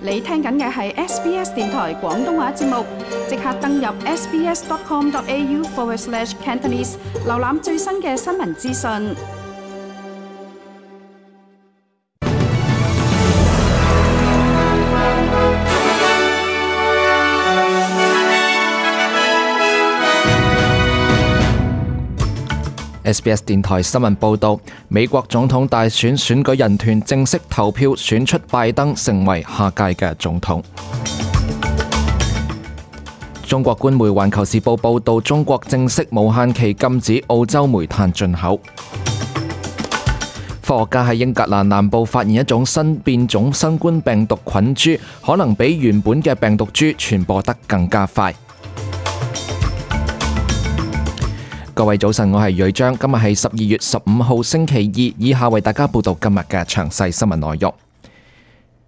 你聽緊嘅係 SBS 電台廣東話節目，即刻登入 sbs.com.au/Cantonese 瀏覽最新嘅新聞資訊。SBS 電台新聞報導，美國總統大選選舉人團正式投票選出拜登成為下屆嘅總統。中國官媒《環球時報》報導，中國正式無限期禁止澳洲煤炭進口。科學家喺英格蘭南部發現一種新變種新冠病毒菌株，可能比原本嘅病毒株傳播得更加快。各位早晨，我係瑞章，今日係12月15號星期二，以下為大家報道今日嘅詳細新聞內容。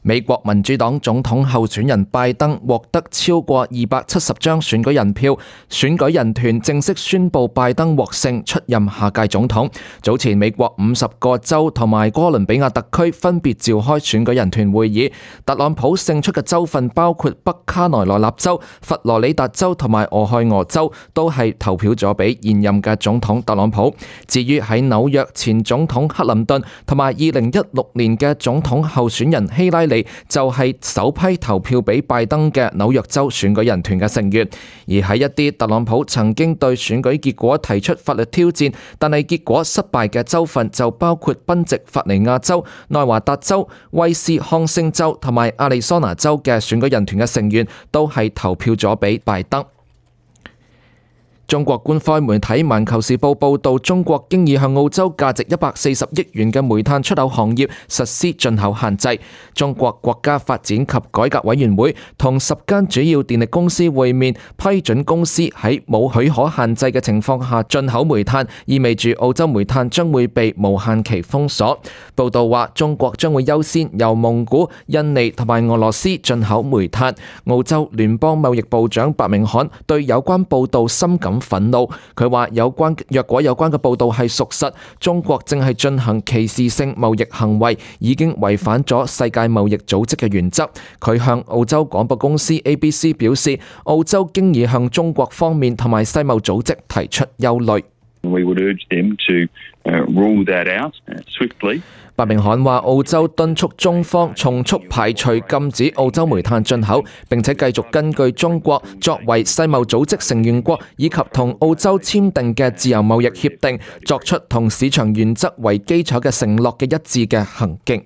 美國民主黨總統候選人拜登獲得超過270張選舉人票，選舉人團正式宣布拜登獲勝，出任下屆總統。早前美國50個州同埋哥倫比亞特區分別召開選舉人團會議，特朗普勝出嘅州份包括北卡羅來納州、佛羅里達州同埋俄亥俄州，都係投票咗俾現任嘅總統特朗普。至於喺紐約前總統克林頓同埋2016年嘅總統候選人希拉里，就係首批投票俾拜登嘅紐約州選舉人團嘅成員。而喺一啲特朗普曾經對選舉結果提出法律挑戰，但係結果失敗嘅州份就包括賓夕法尼亞州、內華達州、威斯康星州同埋亞利桑那州嘅選舉人團嘅成員都係投票咗俾拜登。中國官方媒體《環球時報》報導，中國經已向澳洲價值140億元嘅煤炭出口行業實施進口限制。中國國家發展及改革委員會同10間主要電力公司會面，批准公司喺冇許可限制嘅情況下進口煤炭，意味住澳洲煤炭將會被無限期封鎖。報導話，中國將會優先由蒙古、印尼同埋俄羅斯進口煤炭。澳洲聯邦貿易部長白明罕對有關報導深感憤怒，佢話若果有關嘅報道係屬實，中國正係進行歧視性貿易行為，已經違反咗世界貿易組織嘅原則。佢向澳洲廣播公司 ABC 表示，澳洲經已向中國方面同埋世貿組織提出憂慮。We would urge them to rule that out swiftly. 白明罕話，澳洲敦促中方從速排除禁止澳洲煤炭進口，並且繼續根據中國作為世貿組織成員國以及同澳洲簽訂嘅自由貿易協定，作出同市場原則為基礎嘅承諾嘅一致嘅行徑。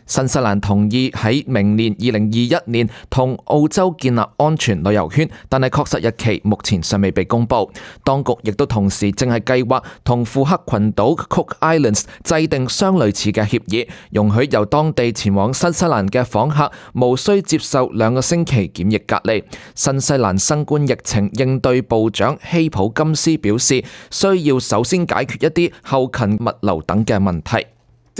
新西蘭同意喺明年2021年同澳洲建立安全旅遊圈，但係確實日期目前尚未被公佈。當局亦都同時正係計劃同庫克群島 Cook Islands 制定相類似嘅協議，容許由當地前往新西蘭嘅訪客無需接受2個星期檢疫隔離。新西蘭新冠疫情應對部長希普金斯表示，需要首先解決一啲後勤物流等嘅問題。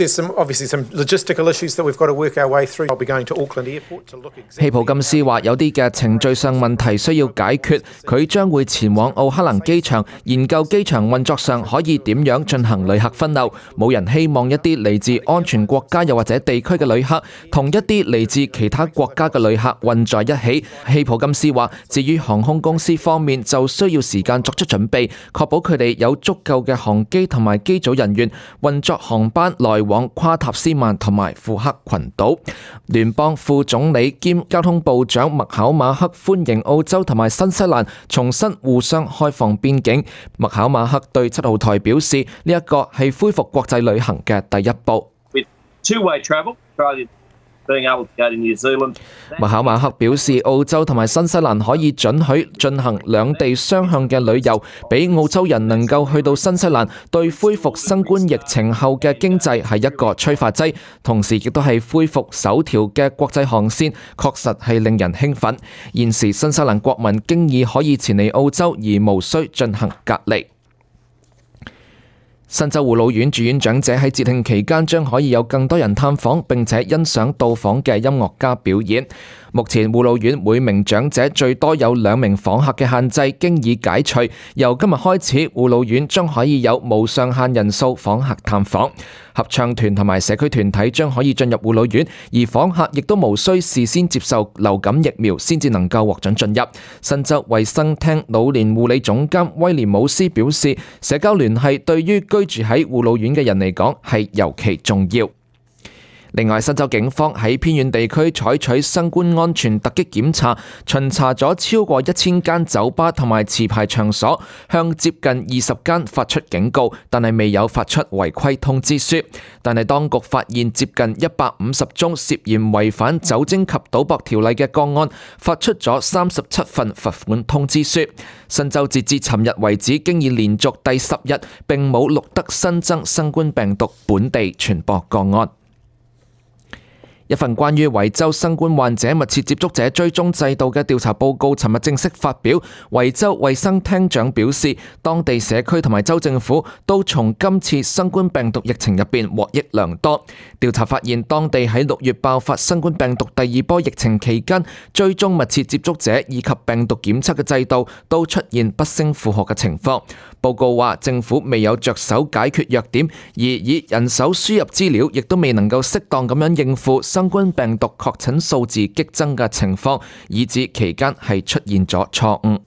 Obviously some logistical issues that we've got to work our way through. I'll be going to Auckland Airport to look exactly. 希普金斯話有啲嘅程序上問題需要解決，佢將會前往奧克蘭機場研究機場運作上可以點樣進行旅客分流。冇人希望一啲嚟自安全國家又或者地區嘅旅客同一啲嚟自其他國家嘅旅客混在一起。希普金斯話，至於航空公司方面就需要時間作出準備，確保佢哋有足夠嘅航機同埋機組人員運作航班來往跨塔斯曼同埋庫克群島。聯邦副總理兼交通部長麥考馬克歡迎澳洲同埋新西蘭重新互相開放邊境。麥考馬克對7號台表示，呢一個係恢復國際旅行嘅第一步。麥考馬克表示，澳洲同埋新西蘭可以准許進行兩地雙向嘅旅遊，俾澳洲人能夠去到新西蘭，對恢復新冠疫情後嘅經濟係一個催化劑，同時亦都係恢復首條嘅國際航線，確實係令人興奮。現時新西蘭國民經已可以前嚟澳洲，而無需進行隔離。新州護老院住院長者喺節慶期間將可以有更多人探訪，並且欣賞到訪嘅音樂家表演。目前護老院每名長者最多有2名訪客嘅限制經已解除，由今日開始，護老院將可以有無上限人數訪客探訪。合唱團同埋社區團體將可以進入護老院，而訪客亦都無需事先接受流感疫苗先至能夠獲准進入。新州衛生廳老年護理總監威廉姆斯表示，社交聯繫對於居住喺護老院嘅人嚟講係尤其重要。另外，新州警方喺偏遠地區採取新冠安全突擊檢查，巡查咗超過1000間酒吧同埋持牌場所，向接近20間發出警告，但係未有發出違規通知書。但係當局發現接近150宗涉嫌違反酒精及賭博條例嘅個案，發出咗37份罰款通知書。新州截至尋日為止，經已連續第10日並冇錄得新增新冠病毒本地傳播個案。一份關於維州新冠患者密切接觸者追蹤制度嘅調查報告尋日正式發表。維州衛生廳長表示，當地社區同埋州政府都從今次新冠病毒疫情入邊獲益良多。調查發現，當地喺6月爆發新冠病毒第2波疫情期間，追蹤密切接觸者以及病毒檢測嘅制度都出現不勝負荷嘅情況。報告話，政府未有着手解決弱點，而以人手輸入資料，亦都未能夠適當咁樣應付新冠病毒確診數字激增嘅情況，以致期間係出現咗錯誤。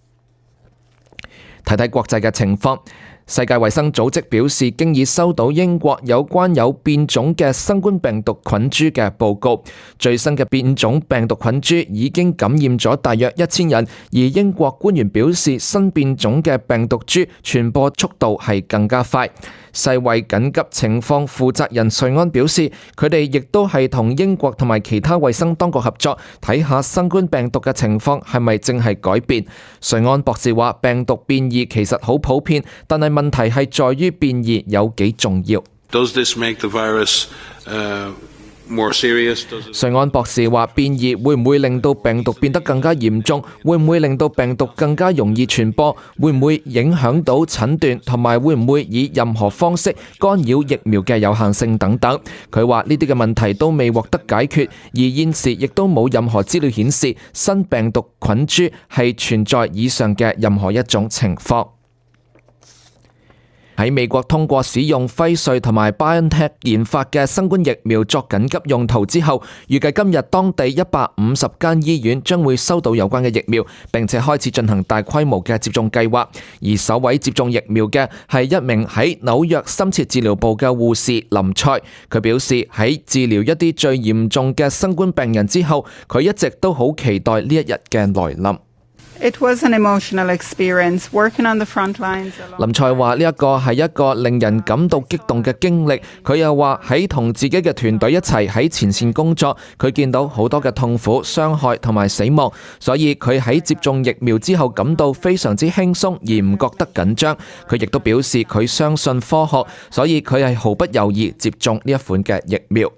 睇睇國際嘅情況。世界衛生組織表示，經已收到英國有關有變種嘅新冠病毒菌株嘅報告。最新嘅變種病毒菌株已經感染咗大約1000人，而英國官員表示，新變種嘅病毒株傳播速度係更加快。世衛緊急情況負責人瑞安表示，佢哋亦都係同英國同埋其他衛生當局合作，睇下新冠病毒嘅情況係咪正係改變。瑞安博士話，病毒變異其實好普遍，但係問題係在於變異有幾重要。Does this make the virus more serious? 瑞安博士話，變異會唔會令到病毒變得更加嚴重？會唔會令到病毒更加容易傳播？會唔會影響到診斷？同埋會唔會以任何方式干擾疫苗嘅有效性等等？佢話呢啲嘅問題都未獲得解決，而現時亦都冇任何資料顯示新病毒菌株係存在以上嘅任何一種情況。喺美國通過使用輝瑞同埋 BioNTech 研發嘅新冠疫苗作緊急用途之後，預計今日當地150間醫院將會收到有關嘅疫苗，並且開始進行大規模嘅接種計劃。而首位接種疫苗嘅係一名喺紐約深切治療部嘅護士林賽。佢表示，喺治療一啲最嚴重嘅新冠病人之後，佢一直都好期待呢一日嘅來臨。It was an emotional experience working on the front lines. 林賽話呢一個係一個令人感到激動嘅經歷。佢又話喺同自己嘅團隊一齊喺前線工作，佢見到好多嘅痛苦、傷害同埋死亡，所以佢喺接種疫苗之後感到非常之輕鬆，而唔覺得緊張。佢亦都表示佢相信科學，所以佢係毫不猶豫接種呢一款嘅疫苗。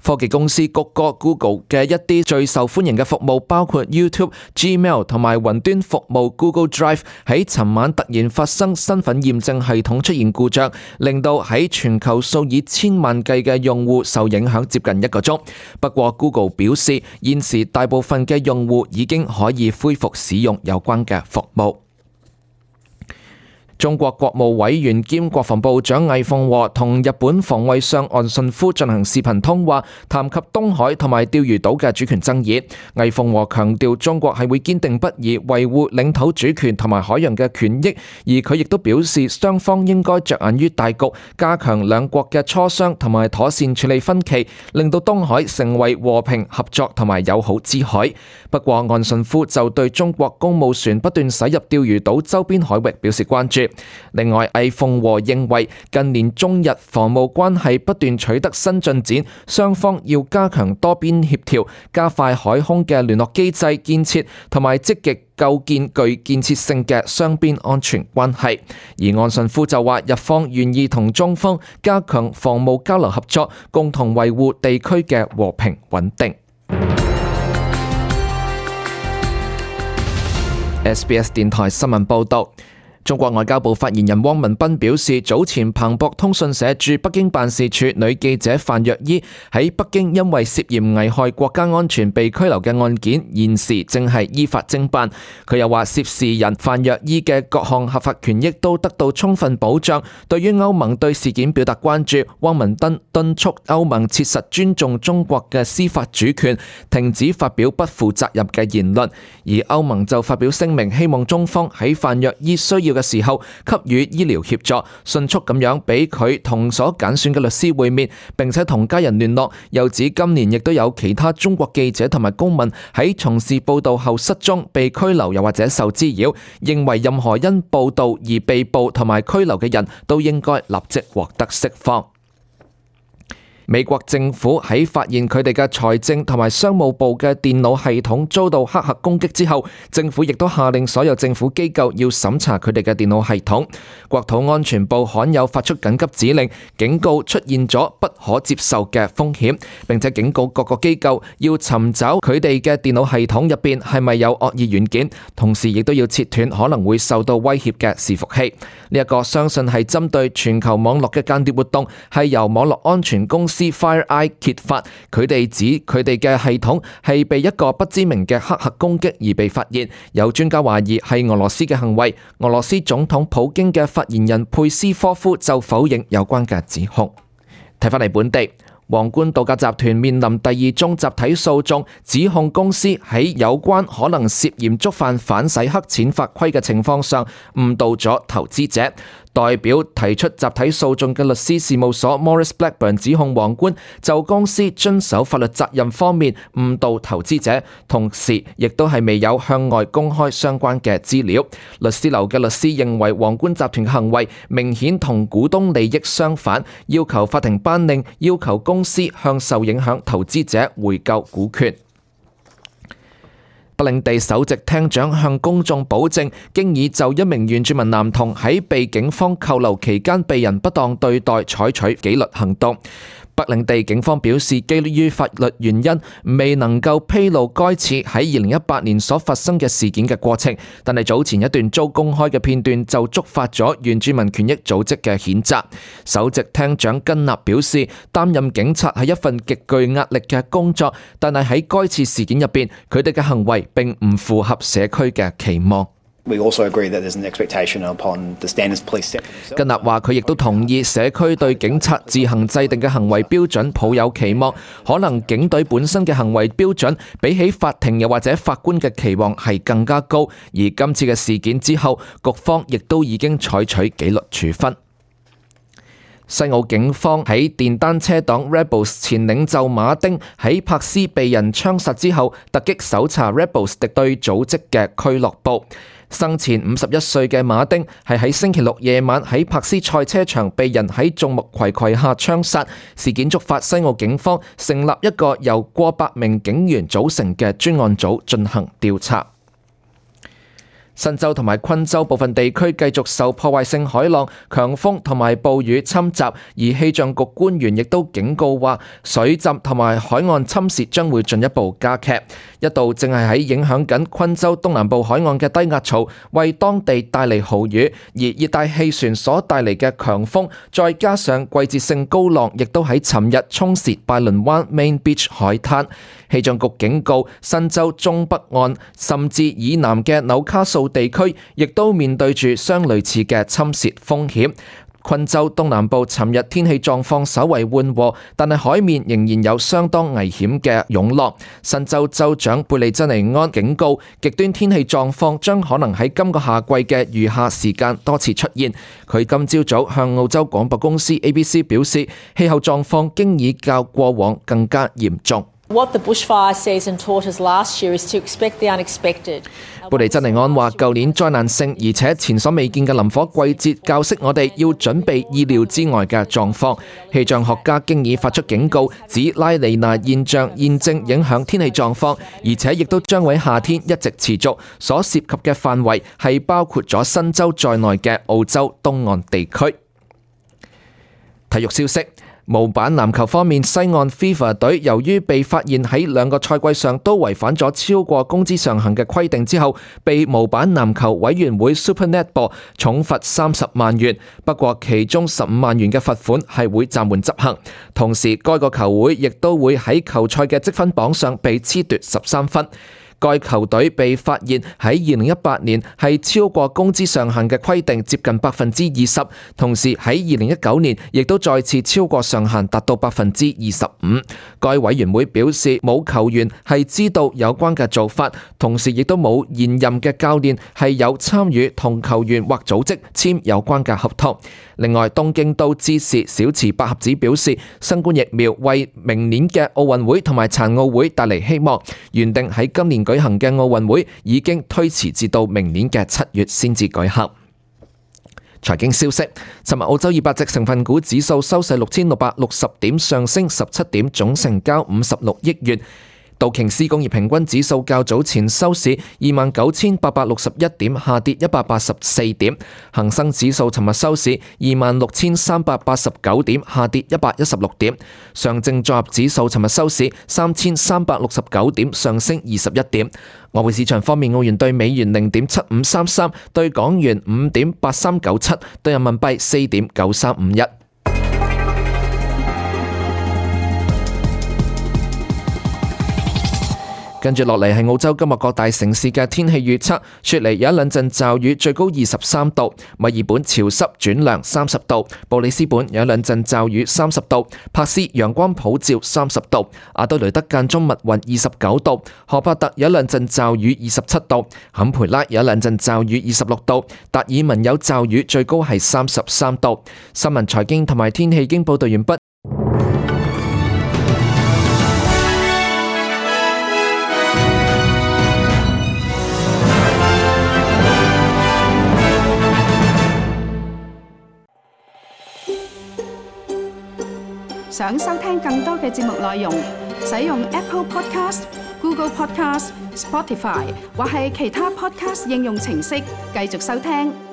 科技公司谷歌 Google 嘅一啲最受歡迎嘅服務，包括 YouTube、Gmail 同埋雲端服務 Google Drive， 喺尋晚突然發生身份驗證系統出現故障，令到喺全球數以千萬計嘅用戶受影響接近1個鐘。不過 Google 表示，現時大部分嘅用戶已經可以恢復使用有關嘅服務。中國國務委員兼國防部長魏鳳和同日本防衛相岸信夫進行視頻通話，談及東海同埋釣魚島嘅主權爭議。魏鳳和強調中國係會堅定不移維護領土主權同埋海洋嘅權益，而佢亦都表示雙方應該着眼於大局，加強兩國嘅磋商同埋妥善處理分歧，令到東海成為和平、合作同埋友好之海。不過岸信夫就對中國公務船不斷駛入釣魚島周邊海域表示關注。另外，魏鳳和認為近年中日防務關係不斷取得新進展，雙方要加強多邊協調，加快海空嘅聯絡機制建設，同埋積極構建具建設性嘅雙邊安全關係。而岸信夫就話，日方願意同中方加強防務交流合作，共同維護地區嘅和平穩定。SBS 電台新聞報道。中國外交部發言人汪文斌表示，早前彭博通訊社駐北京辦事處女記者范若依喺北京因為涉嫌危害國家安全被拘留嘅案件，現時正係依法偵辦。佢又話，涉事人范若依嘅各項合法權益都得到充分保障。對於歐盟對事件表達關注，汪文斌敦促歐盟切實尊重中國嘅司法主權，停止發表不負責任嘅言論。而歐盟就發表聲明，希望中方喺范若依需要嘅時候給予醫療協助，迅速咁樣俾佢同所揀選嘅律師會面，並且同家人聯絡。又指今年亦都有其他中國記者同埋公民喺從事報道後失蹤、被拘留又或者受滋擾，認為任何因報道而被捕同埋拘留嘅人都應該立即獲得釋放。美國政府喺發現佢哋嘅財政同埋商務部嘅電腦系統遭到黑客攻擊之後，政府亦都下令所有政府機構要審查佢哋嘅電腦系統。國土安全部罕有發出緊急指令，警告出現咗不可接受嘅風險，並且警告各個機構要尋找佢哋嘅電腦系統入邊係咪有惡意軟件，同時亦都要切斷可能會受到威脅嘅伺服器。呢一個相信係針對全球網絡嘅間諜活動，係由網絡安全公司FireEye 揭發，佢哋指佢哋嘅系統係被一個不知名嘅黑客攻擊而被發現。有專家懷疑係俄羅斯嘅行為。俄羅斯總統普京嘅發言人佩斯科夫就否認有關嘅指控。睇返嚟本地，皇冠度假集團面臨第二宗集體訴訟，指控公司喺有關可能涉嫌觸犯反洗黑錢法規嘅情況上誤導咗投資者。代表提出集體訴訟嘅律師事務所 Morris Blackburn 指控皇冠就公司遵守法律責任方面誤導投資者，同時亦都係未有向外公開相關嘅資料。律師樓嘅律師認為皇冠集團嘅行為明顯同股東利益相反，要求法庭頒令要求公司向受影響投資者回購股權。北領地首席廳長向公眾保證，經已就一名原住民男童喺被警方扣留期間被人不當對待採取紀律行動。北領地警方表示，基於法律原因，未能夠披露該次喺2018年所發生嘅事件嘅過程，但係早前一段遭公開嘅片段就觸發咗原住民權益組織嘅譴責。首席廳長根納表示，擔任警察係一份極具壓力嘅工作，但係喺該次事件入邊，佢哋嘅行為並唔符合社區嘅期望。We also agree that there's an expectation upon the standards police set. 根納話佢亦都同意社區對警察自行制定嘅行為標準抱有期望，可能警隊本身嘅行為標準比起法庭又或者法官嘅期望係更加高，而今次嘅事件之後，局方亦都已經採取紀律處分。西澳警方喺電單車黨 Rebels 前領袖馬丁喺柏斯被人槍殺之後，突擊搜查 Rebels 敵對組織嘅俱樂部。生前51歲嘅馬丁係喺星期六夜晚喺柏斯賽車場被人喺眾目睽睽下槍殺，事件觸發西澳警方成立一個由過百名警員組成嘅專案組進行調查。新州同埋昆州部分地區繼續受破壞性海浪、強風同埋暴雨侵襲，而氣象局官員亦都警告話，水浸同埋海岸侵蝕將會進一步加劇。一度正係喺影響緊昆州東南部海岸嘅低壓槽，為當地帶嚟豪雨，而熱帶氣旋所帶嚟嘅強風，再加上季節性高浪，亦都喺尋日沖蝕拜倫灣 Main Beach 海灘。氣象局警告，新州中北岸甚至以南嘅紐卡素地區，亦都面對住相類似嘅侵蝕風險。昆州東南部尋日天氣狀況稍為緩和，但係海面仍然有相當危險嘅湧浪。新州州長貝利珍尼安警告，極端天氣狀況將可能喺今個夏季嘅餘下時間多次出現。佢今朝早向澳洲廣播公司 ABC 表示，氣候狀況經已較過往更加嚴重。What the bushfire season taught us last year is to expect the unexpected. 貝利珍尼安話，舊年災難性而且前所未見嘅林火季節教識我哋要準備意料之外嘅狀況。氣象學家經已發出警告，指拉尼娜現象現正影響天氣狀況，而且亦都將會喺夏天一直持續。所涉及嘅範圍係包括咗新州在內嘅澳洲東岸地區。體育消息。模板籃球方面，西岸 Fever 隊由於被發現喺2個賽季上都違反咗超過工資上限嘅規定之後，被模板籃球委員會 Super Netball 重罰30萬元。不過其中15萬元嘅罰款係會暫緩執行。同時，該個球會亦都會喺球賽嘅積分榜上被褫奪13分。該球隊被發現喺2018年係超過工資上限嘅規定接近 20%， 同時喺2019年亦都再次超過上限達到 25%。該委員會表示冇球員係知道有關嘅做法，同時亦都冇現任嘅教練係有參與同球員或組織簽有關嘅合同。另外，東京都知事小池百合子表示，新冠疫苗為明年嘅奧運會同埋殘奧會帶嚟希望，原定喺今年舉行嘅奧運會已經推遲至到明年嘅7月先至舉行。財經消息，尋日澳洲200隻成分股指數收市6660點，上升17點，總成交56億元。道瓊斯工業平均指數較早前收市29,861點，下跌184點。恒生指數尋日收市26,389點，下跌116點。上證綜合指數尋日收市3,369點，上升21點。外匯市場方面，澳元對美元0.7533，對港元5.8397，對人民幣4.9351。跟住落嚟係澳洲今日各大城市嘅天氣預測。雪梨有一兩陣驟雨，最高23度；墨爾本潮濕轉涼30度；布里斯本有一兩陣驟雨30度；珀斯陽光普照30度；阿德雷德間中密雲29度；荷伯特有一兩陣驟雨27度；坎培拉有一兩陣驟雨26度；達爾文有驟雨，最高係33度。新聞財經同埋天氣已經報道完畢。想收聽更多嘅節目內容，使用 Apple Podcast、Google Podcast、Spotify 或係其他 Podcast 應用程式繼續收聽。